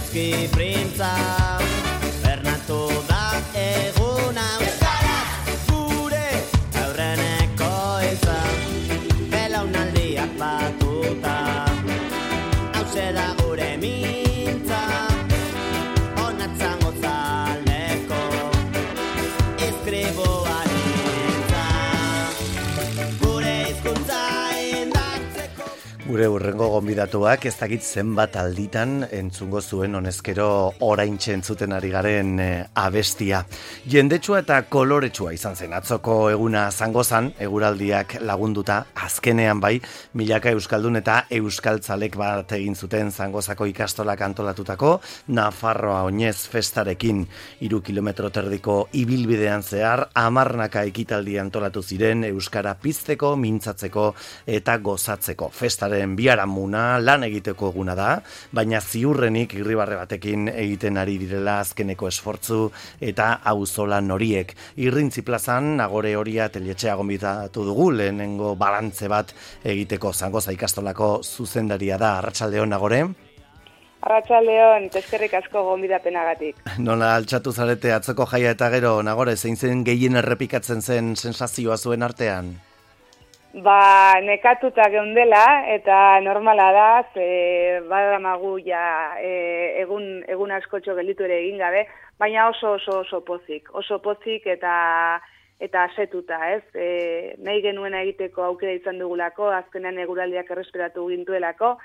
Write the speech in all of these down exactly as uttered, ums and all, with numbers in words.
Euski printza, Bernatu da eguna, Euskaraz gure aurreneko izan, belaunaldiak batuta, hause da gure mintza, onatzango zaldeko, eskriboan intza, gure hizkuntza indartzeko. Gure urrengo gonbidatuak ez dakit zenbat alditan entzungo zuen honezkero oraintxe entzuten ari garen e, abestia. Jendetsua eta koloretsua izan zen atzoko eguna zangozan, eguraldiak lagunduta, azkenean bai, milaka euskaldun eta euskaltzalek bat egin zuten Zangozako ikastolak antolatutako Nafarroa Oinez festarekin. Hiru kilometro terdiko ibilbidean zehar, hamarnaka ekitaldi antolatu ziren euskara pizteko, mintzatzeko eta gozatzeko. Festaren biharamuna lan egiteko eguna da, baina ziurrenik irribarre batekin egiten ari direla azkeneko esfortzu eta auzolan horiek. Irrintzi plazan, Nagore Horia teletxea gonbidatu dugu, lehenengo balantze bat egiteko. Zangoza ikastolako zuzendaria da. Arratsaldeon, Nagore? Arratsaldeon, eskerrik asko gonbidapenagatik. Nola altxatu zarete atzoko jaia eta gero, Nagore, zein zen gehien errepikatzen zen sensazioa zuen artean? Ba, nekatuta geundela eta normala da, ze badamagu ja e, egun, egun askotxo gelditu ere egin gabe, baina oso oso oso pozik, oso pozik eta eta asetuta, ez? E, nahi genuena egiteko aukera izan dugulako, azkenean eguraldiak erresperatu gintuelako,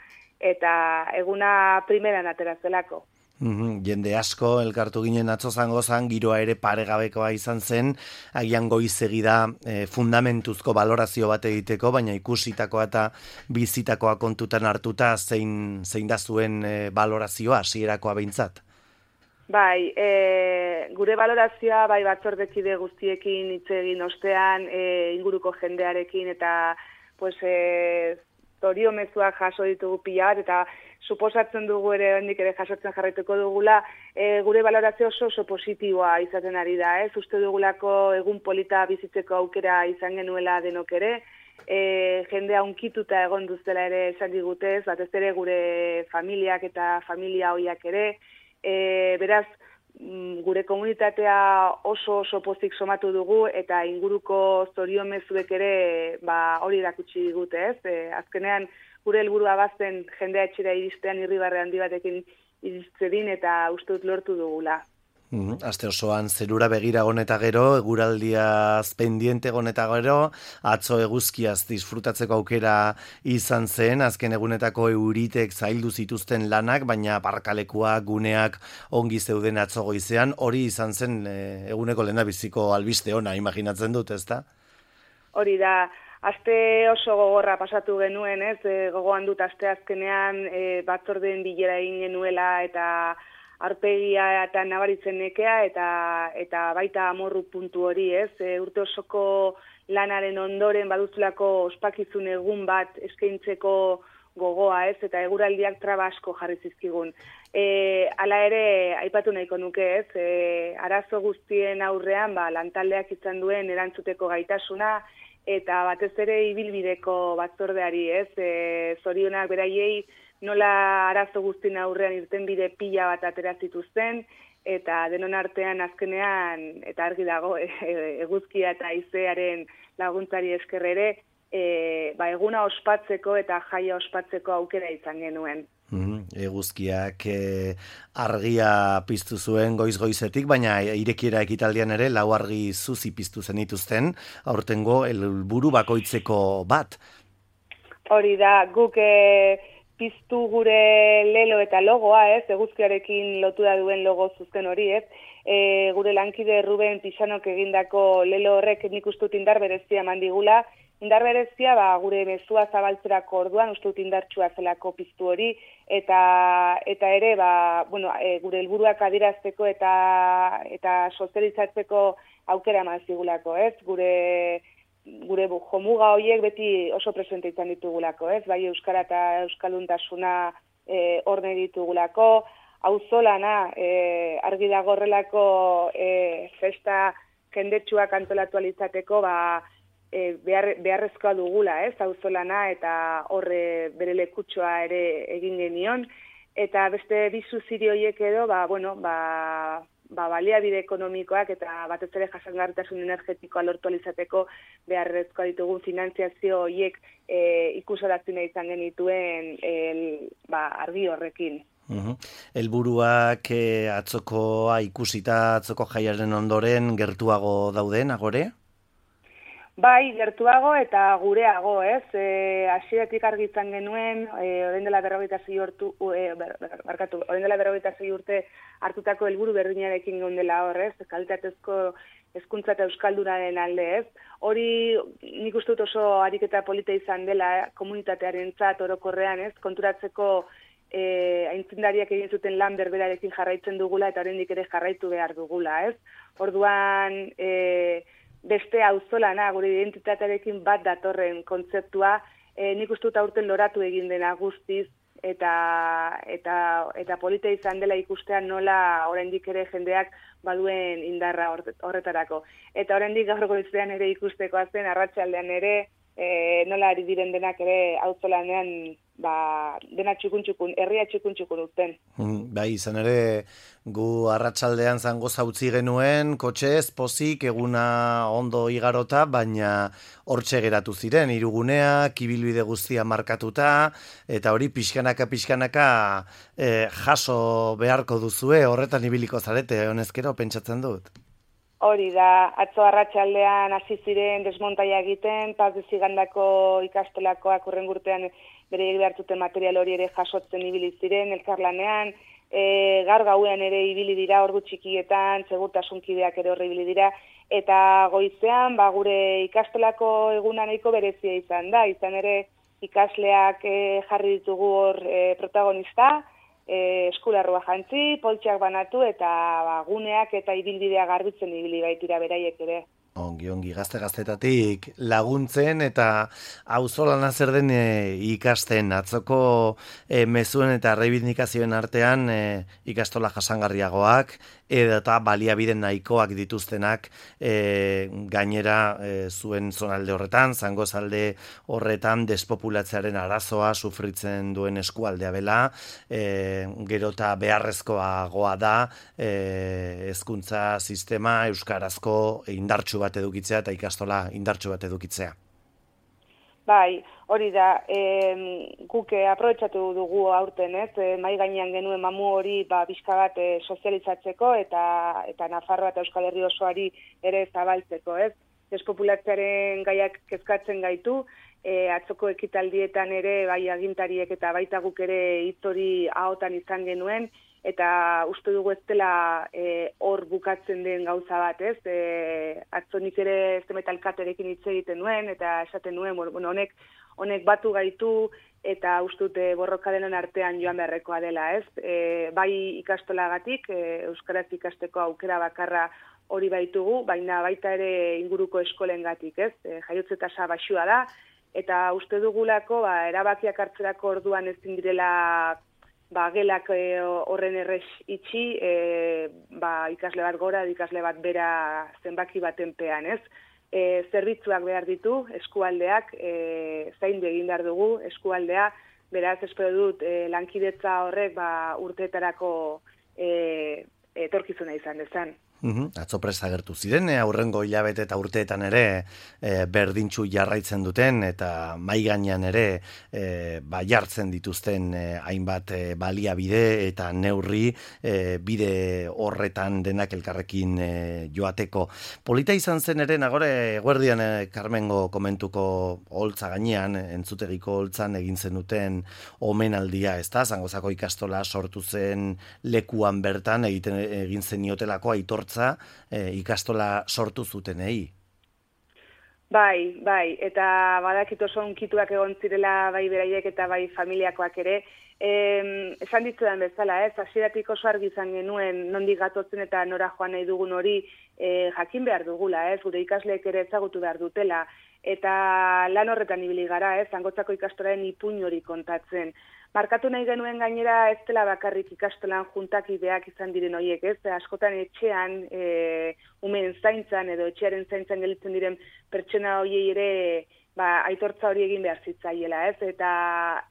eta eguna primeran aterazelako. Mm-hmm. Jende asko elkartu ginen atzo Zangozan, giroa ere paregabekoa izan zen, agian goizegi da e, fundamentuzko balorazio bat egiteko, baina ikusitakoa eta bizitakoa kontutan hartuta zein, zein da zuen e, balorazioa, hasierakoa behintzat? Bai, e, gure balorazioa bai batzordekide guztiekin hitz egin ostean, e, inguruko jendearekin eta pues, e, zorio mezuak jaso ditugu pila bat, eta suposatzen dugu ere, hendik ere jasotzen jarraituko dugula, e, gure balorazio oso oso positiboa izaten ari da, ez? Uste dugulako egun polita bizitzeko aukera izan genuela denok ere, e, jendea unkituta egon duztela ere esan digutez, batez ere gure familiak eta familia hoiak ere, e, beraz, gure komunitatea oso oso pozik somatu dugu eta inguruko zorion mezuek ere ba, hori erakutsi digute, ez? E, azkenean gure helburua bazen jendea etxera iristean irribarre handi batekin iriztedin eta uste dut lortu dugula. Mm, aste osoan zerura begira goneta gero, eguraldiaz pendiente goneta gero, atzo eguzkiaz disfrutatzeko aukera izan zen, azken egunetako euritek zaildu zituzten lanak, baina parkalekuak, guneak ongi zeuden atzo goizean, hori izan zen e, eguneko lehendabiziko albiste ona, imaginatzen dut, ezta? Hori da, aste oso gogorra pasatu genuen, ez, e, gogoan dut aste azkenean e, batzordeen bilera egin genuela eta arpegia eta nabaritzen nekea eta eta baita amorru puntu hori, ez? E, urte osoko lanaren ondoren baduzulako ospakizun egun bat eskaintzeko gogoa, ez? Eta eguraldiak traba asko jarri zizkigun. E, hala ere, aipatu nahiko nuke, ez? E, arazo guztien aurrean, ba, lantaldeak izan duen erantzuteko gaitasuna eta batez ere ibilbideko batzordeari, ez? E, zorionak beraiei nola arazo guztien aurrean irtenbide pila bat atera zituzten, eta denon artean azkenean, eta argi dago, e, eguzkia eta haizearen laguntzari esker ere, e, ba, eguna ospatzeko eta jaia ospatzeko aukera izan genuen. Mm, eguzkiak e, argia piztu zuen goiz-goizetik, baina irekiera ekitaldian ere lau argi zuzi piztu zenituzten, aurtengo helburu bakoitzeko bat. Hori da, guk e, piztu gure lelo eta logoa, ez, eguzkiarekin lotura duen logo zuzken hori, ez, e, gure lankide Ruben Pixanok egindako lelo horrek nik uste dut indar berezia mandigula, indar berezia ba, gure mezua zabaltzerako orduan uste dut indartsua zelako piztu hori, eta eta ere ba, bueno, e, gure helburuak adierazteko eta eta sozializatzeko aukera eman zigulako, ez, gure gure jomuga horiek beti oso presente izan ditugulako, ez? Bai euskara eta euskalduntasuna e, orne ditugulako, auzolana e, argi dago horrelako e, festa jendetsuak antolatu alizateko, ba, e, behar, beharrezkoa dugula, ez? Auzolana eta horre bere lekutxoa ere egin genion, eta beste bi zuziri horiek edo, ba, bueno, ba, ba, baliabide ekonomikoak eta batez ere jasangarritasun energetikoa lortu alizateko beharrezkoa ditugun finantziazio horiek e, ikusoratzen izan genituen el, ba, argi horrekin. Uhum. Helburuak eh, atzokoa ikusita atzoko jaiaren ondoren gertuago dauden, agore? Bai, gertuago eta gureago, ez? E, hasieratik argi izan genuen, e, orain dela berrogeita sei urtu, e, ber, ber, barkatu, orain dela berrogeita sei urte hartutako helburu berdinarekin geundela hor, ez? Kalitatezko hezkuntza eta euskaldunaren alde, ez? Hori nik uste dut oso ariketa polita izan dela komunitatearentzat orokorrean, ez? Konturatzeko E, aintzindariak egin zuten lan berberarekin jarraitzen dugula eta oraindik ere jarraitu behar dugula, ez? Orduan, e, beste auzolana, gure identitatearekin bat datorren kontzeptua, e, nik uste dut aurten loratu egin dena guztiz, eta eta eta polita izan dela ikustean nola oraindik ere jendeak baduen indarra horretarako. Eta oraindik gaur goizean ere ikustekoa zen, arratsaldean ere, e, nola ari diren denak ere auzolanean ba, dena txukun-txukun, herria txukun-txukun uzten. Mm, bai, izan ere, gu arratsaldean zango zautzi genuen, kotxez, pozik, eguna ondo igarota, baina hortxe geratu ziren, hiruguneak, ibilbide guztia markatuta, eta hori pixkanaka-pixkanaka eh, jaso beharko duzue, horretan ibiliko zarete, honezkero, pentsatzen dut. Hori da, atzo arratsaldean hasi ziren desmontaia egiten, Paz de Zigandako ikastolakoak hurrengo urtean beraiek behartuten material hori ere jasotzen ibili ziren, elkarlanean, e, gaur gauean ere ibili dira, ordu txikietan, segurtasunkideak ere horre ibili dira, eta goizean, ba, gure ikastolako eguna nahiko berezia izan da, izan ere ikasleak e, jarri ditugu hor e, protagonista, E, eskularrua jantzi, poltsak banatu eta ba, guneak eta ibilbidea garbitzen ibili baitira beraiek ere. Ongi, ongi, gazte-gaztetatik laguntzen eta auzolana zer den e, ikasten. Atzoko e, mezuen eta reibindikazioen artean e, ikastola jasangarriagoak eta baliabide nahikoak dituztenak e, gainera e, zuen zonalde horretan, zangozalde horretan despopulatzearen arazoa sufritzen duen eskualdea bela, e, gero eta beharrezkoagoa da e, hezkuntza sistema euskarazko indartsu bat edukitzea eta ikastola indartsu bat edukitzea. Bai, hori da, e, guk aprobetxatu dugu aurten, ez, e, mai gainean genuen mamu hori ba, bizka bat e, sozializatzeko eta eta Nafarroa eta Euskal Herri osoari ere zabaltzeko, ez. Despopulatzearen gaiak kezkatzen gaitu, e, atzoko ekitaldietan ere bai agintariek eta baita guk ere hitz hori ahotan izan genuen, eta uste dugu ez dela hor e, bukatzen den gauza bat, ez? E, atzo nik ere zemetalkaterekin hitz egiten nuen, eta esaten nuen, bueno, honek, honek batu gaitu, eta uste dute borroka denon artean joan beharrekoa dela, ez? E, bai ikastolagatik, e, euskaraz ikasteko aukera bakarra hori baitugu, baina baita ere inguruko eskolengatik, ez? E, jaiotze tasa baxua da, eta uste dugulako, ba, erabakiak hartzerako orduan ezin direla ba, gelak e, horren errez itxi, e, ba, ikasle bat gora, ikasle bat bera zenbaki baten pean, ez? E, zerbitzuak behar ditu, eskualdeak, e, zaindu egin behar dugu, eskualdea, beraz, espero dut, e, lankidetza horrek ba, urteetarako e, etorkizuna izan dezan. Uhum. Atzo prest agertu ziren, e, aurrengo hilabete eta urteetan ere e, berdintxu jarraitzen duten eta mai gainean ere e, ba, jartzen dituzten e, hainbat e, baliabide eta neurri e, bide horretan denak elkarrekin e, joateko. Polita izan zen ere, nagore, eguerdian e, Carmengo komentuko holtza gainean, entzutegiko holtzan egin zenuten omenaldia, ezta? Zangozako ikastola sortu zen lekuan bertan egiten egin zeniotelako aitortza E, ikastola sortu zutenei. Bai, bai, eta badakit oso unkituak egon zirela bai beraiek eta bai familiakoak ere. E, esan ditzudan bezala, ez, hasieratik oso argi izan genuen nondik gatotzen eta nora joan nahi dugun hori e, jakin behar dugula, ez, gure ikasleek ere ezagutu behar dutela. Eta lan horretan ibili gara, ez, Zangotzako ikastolaren ipuin hori kontatzen. Markatu nahi genuen gainera ez dela bakarrik ikastolan juntakideak izan diren horiek, ez? Askotan etxean, e, umen zaintzan edo etxearen zaintzan gelditzen diren pertsona horiei ere ba, aitortza hori egin behar zitzaiela, ez? Eta,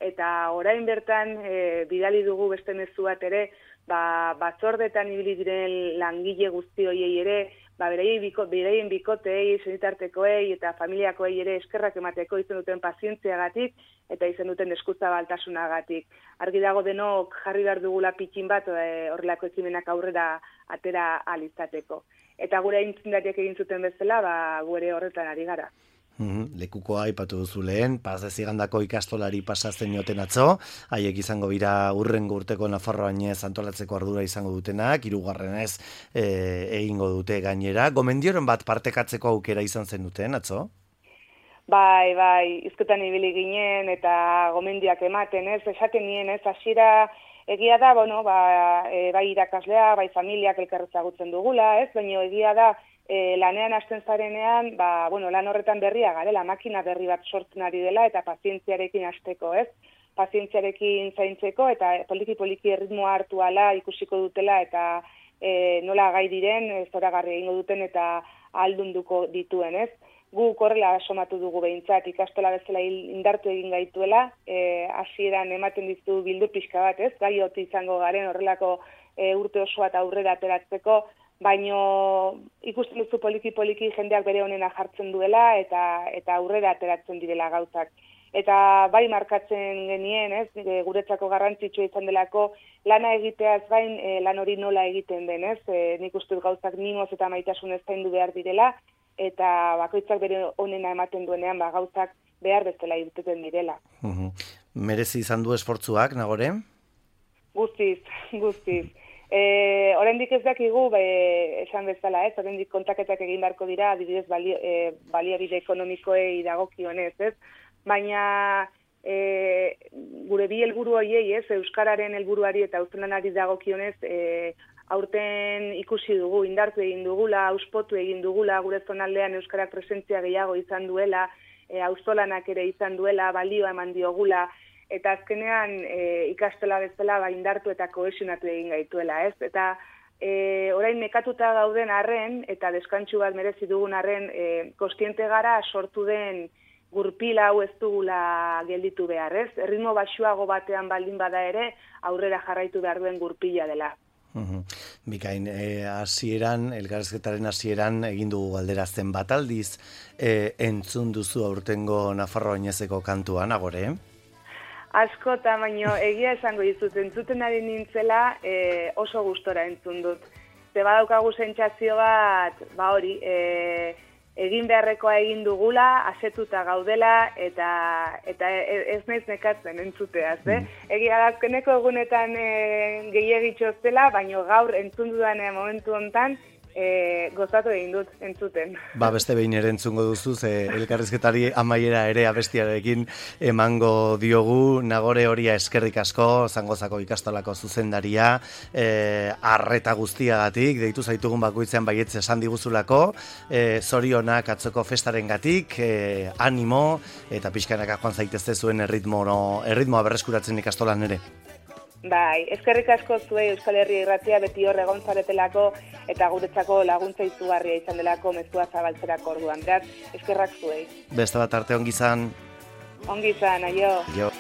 eta orain bertan e, bidali dugu beste mezu bat ere, ba, batzordetan ibili diren langile guzti horiei ere, ba, beraien, biko, beraien bikotei, senitartekoei eta familiakoei ere eskerrak emateko izan duten pazientziagatik eta izan duten eskuzabaltasunagatik. Argi dago denok jarri behar dugula pitxin bat e, horrelako ekimenak aurrera atera alizateko. Eta gure aintzindariak egin zuten bezala, ba, gure horretan ari gara. Mm, lekukoa aipatu duzu lehen, Paz de Zigandako ikastolari pasatzen joten atzo, haiek izango bira urrengo urteko Nafarroainez antolatzeko ardura izango dutenak, hirugarrenez e, egingo dute gainera. Gomendioren bat partekatzeko aukera izan zen duten atzo? Bai, bai, hizketan ibili ginen eta gomendioak ematen, ez, esaten nien, ez, hasiera egia da, bueno, ba, e, bai irakaslea, bai familiak elkarrezagutzen dugula, ez, baina egia da, E, lanean hasten zarenean, ba, bueno, lan horretan berria garela, makina berri bat sortzen ari dela eta pazientziarekin hasteko, ez? Pazientziarekin zaintzeko eta poliki-poliki erritmoa hartu ala ikusiko dutela eta e, nola gai diren, zoragarri egingo duten eta ahaldunduko dituen, ez? Gu korrela somatu dugu behintzat, ikastola bezala indartu egin gaituela, e, hasieran ematen dizu bildu pixka bat, ez? Gai hoti izango garen horrelako e, urte osoa eta aurrera ateratzeko, baino ikusten duzu poliki-poliki jendeak bere honena jartzen duela eta eta aurrera ateratzen direla gauzak. Eta bai markatzen genien, ez, guretzako garrantzitsua izan delako lana egiteaz gain e, lan hori nola egiten den, ez? E, nik uste dut gauzak mimoz eta maitasunez zaindu behar direla eta bakoitzak bere honena ematen duenean ba gauzak behar bezala irteten direla. Uhum. Merezi izan du esfortzuak, Nagore? Guztiz, guztiz. E, oraindik ez dakigu, be, esan bezala, ez, oraindik kontaketak egin beharko dira, adibidez balio, e, baliabide ekonomikoei dagokionez, ez, baina e, gure bi helburu horiei, ez, euskararen helburuari eta auzolanari dagokionez, e, aurten ikusi dugu, indartu egin dugula, auspotu egin dugula, gure zonaldean euskarak presentzia gehiago izan duela, e, auzolanak ere izan duela, balioa eman diogula, eta azkenean e, ikastola bezala ba, indartu eta kohesionatu egin gaituela, ez? Eta e, orain nekatuta gauden arren, eta deskantsu bat merezi dugun arren, e, kostiente gara sortu den gurpila hau ez dugula gelditu behar, ez? Erritmo baxuago batean baldin bada ere, aurrera jarraitu behar duen gurpila dela. Uhum. Bikain, e, hasieran, elkarrizketaren hasieran egin dugu galdera zenbat aldiz e, entzun duzu aurtengo Nafarroainezeko kantua, Nagore? Asko eta baino egia esango dizut, entzuten ari nintzela e, oso gustora entzun dut. Ze badaukagu sentsazio bat, ba hori, e, egin beharrekoa egin dugula, asetuta gaudela, eta eta ez naiz nekatzen entzuteaz, eh? Mm. Egia da, azkeneko egunetan e, gehiagitxo zela, baino gaur entzun dudan momentu hontan, E, gozatu egin dut entzuten. Ba, beste behin ere entzungo duzu, ze elkarrizketari amaiera ere abestiarekin emango diogu. Nagore Horia eskerrik asko, Zangozako ikastolako zuzendaria, e, arreta guztiagatik, deitu zaitugun bakoitzean baietz esan diguzulako, e, zorionak atzoko festarengatik, e, animo, eta pixkanaka joan zaitezte zuen erritmo, no, erritmoa berreskuratzen ikastolan ere. Bai, eskerrik asko zuei Euskal Herria Irratia beti hor egon zaretelako eta guretzako laguntza izugarria izan delako mezua zabaltzerako orduan. Beraz, eskerrak zuei. Beste bat arte ongi izan. Ongi izan, aio. Jo.